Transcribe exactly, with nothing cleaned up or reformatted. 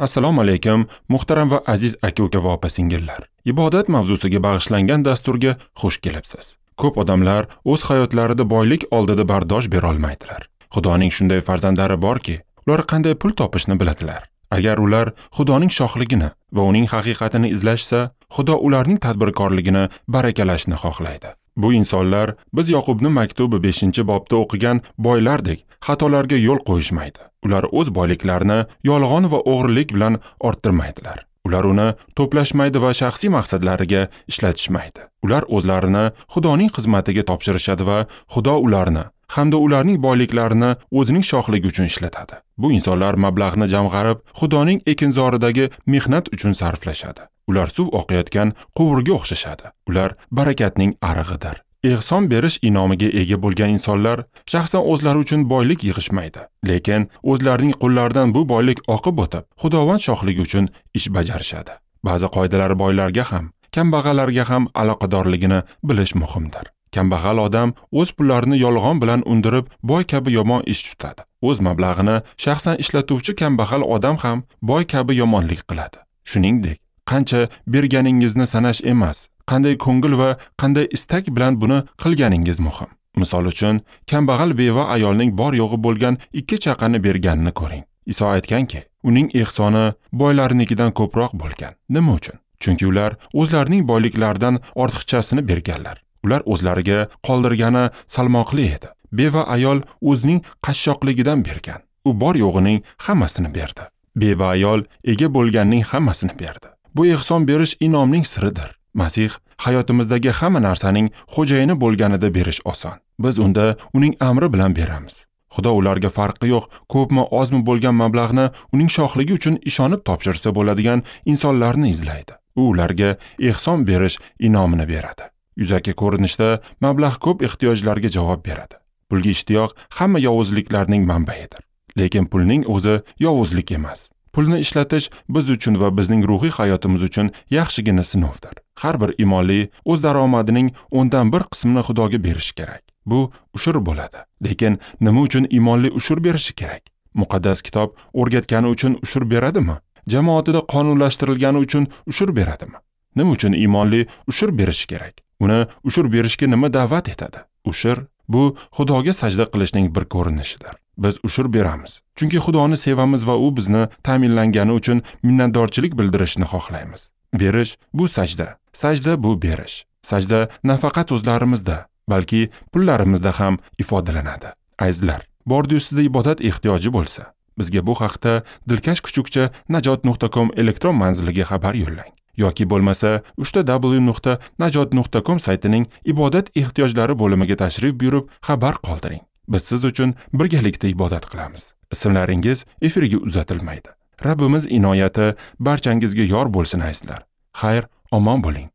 Assalomu alaykum, muhtaram va aziz aka-uka va opa-singillar. Ibodat mavzusiga bag'ishlangan dasturga xush kelibsiz. Ko'p odamlar o'z hayotlarida boylik oldida bardosh bera olmaydilar. Xudoning shunday farzandlari borki, ular qanday pul topishni biladilar. Agar ular Xudoning shohligini va uning haqiqatini izlashsa, Xudo ularning tadbirkorligini barakalashni xohlaydi. Bu insonlar biz Yoqubning maktubi beshinchi bobda o'qigan boylardek xatolarga yo'l qo'yishmaydi. Ular o'z boyliklarini yolg'on va o'g'rilik bilan orttirmaydilar. Ular uni to'plashmaydi va shaxsiy maqsadlariga ishlatishmaydi. Ular o'zlarini Xudoning xizmatiga topshirishadi va Xudo ularni hamda ularning boyliklarini o'zining shohligi uchun ishlatadi. Bu insonlar mablag'ni jamg'arib, Xudoning ekinzoridagi mehnat uchun sarflashadi. Ular suv oqayotgan quvurga o'xshashadi. Ular barakatning arig'idir. Ehson berish inomiga ega bo'lgan insonlar shaxsan o'zlari uchun boylik yig'ishmaydi, lekin o'zlarining qo'llaridan bu boylik oqib o'tib, Xudovand shohligi uchun ish bajarishadi. Ba'zi qoidalar boylarga ham, kambag'allarga ham aloqadorligini bilish muhimdir. Kambag'al odam o'z pullarini yolg'on bilan undirib, boy kabi yomon ish tutadi. O'z mablag'ini shaxsan ishlatuvchi kambag'al odam ham boy kabi yomonlik qiladi. Shuningdek, qancha berganingizni sanash emas, qanday ko'ngil va qanday istak bilan buni qilganingiz muhim. Misol uchun, kambag'al beva ayolning bor yo'g'i bo'lgan ikki chaqani berganini ko'ring. Iso aytganki, uning ehsoni boylarnikidan ko'proq bo'lgan. Nima uchun? Chunki ular o'zlarining boyliklaridan ortiqchasini berganlar. Ular o'zlariga qoldirgani salmoqli edi. Beva ayol o'zining qashshoqligidan bergan. U bor yo'g'ining hammasini berdi. Beva ayol ega bo'lganning hammasini berdi. Bu ehson berish inomning siridir. Masih hayotimizdagi hamma narsaning xo'jayini bo'lganida berish oson. Biz unda uning amri bilan beramiz. Xudo ularga farqi yo'q, ko'pmi ozmi bo'lgan mablag'ni uning shohligi uchun ishonib topshirsa bo'ladigan insonlarni izlaydi. U ularga ehson berish inomini beradi. Yuzaki ko'rinishda mablag' ko'p ehtiyojlarga javob beradi. Pulga ishtiyoq hamma yovuzliklarning manbaidir. Lekin pulning o'zi yovuzlik emas. Pulni ishlatish biz uchun va bizning ruhiy hayotimiz uchun yaxshigina sinovdir. Har bir imonli o'z daromadining o'ndan bir qismini Xudoga berishi kerak. Bu ushur bo'ladi. Lekin nima uchun imonli ushur berishi kerak? Muqaddas kitob o'rgatgani uchun ushur beradimi? Jamoatida qonunlashtirilgani uchun ushur beradimi? Nima uchun imonli ushur berishi kerak? Uni ushur berishga nima da'vat etadi? Ushur bu Xudoga sajda qilishning bir ko'rinishidir. Biz ushur beramiz, chunki Xudoni sevamiz va u bizni ta'minlangani uchun minnatdorchilik bildirishni xohlaymiz. Berish bu sajda, sajda bu berish. Sajda nafaqat o'zlarimizda, balki pullarimizda ham ifodalanadi. Azizlar, bordi sizda ibodat ehtiyoji bo'lsa, bizga bu haqda dilkash kuchukcha najot nuqta com elektron manziliga xabar yo'llang. Yoki bo'lmasa uchta w nuqta najot nuqta com saytining ibodat ehtiyojlari bo'limiga tashrif buyurib xabar qoldiring. Biz siz uchun birgalikda ibodat qilamiz. Ismlaringiz efirga uzatilmaydi. Rabbimiz inoyati barchangizga yor bo'lsin azizlar. Xayr, omon bo'ling.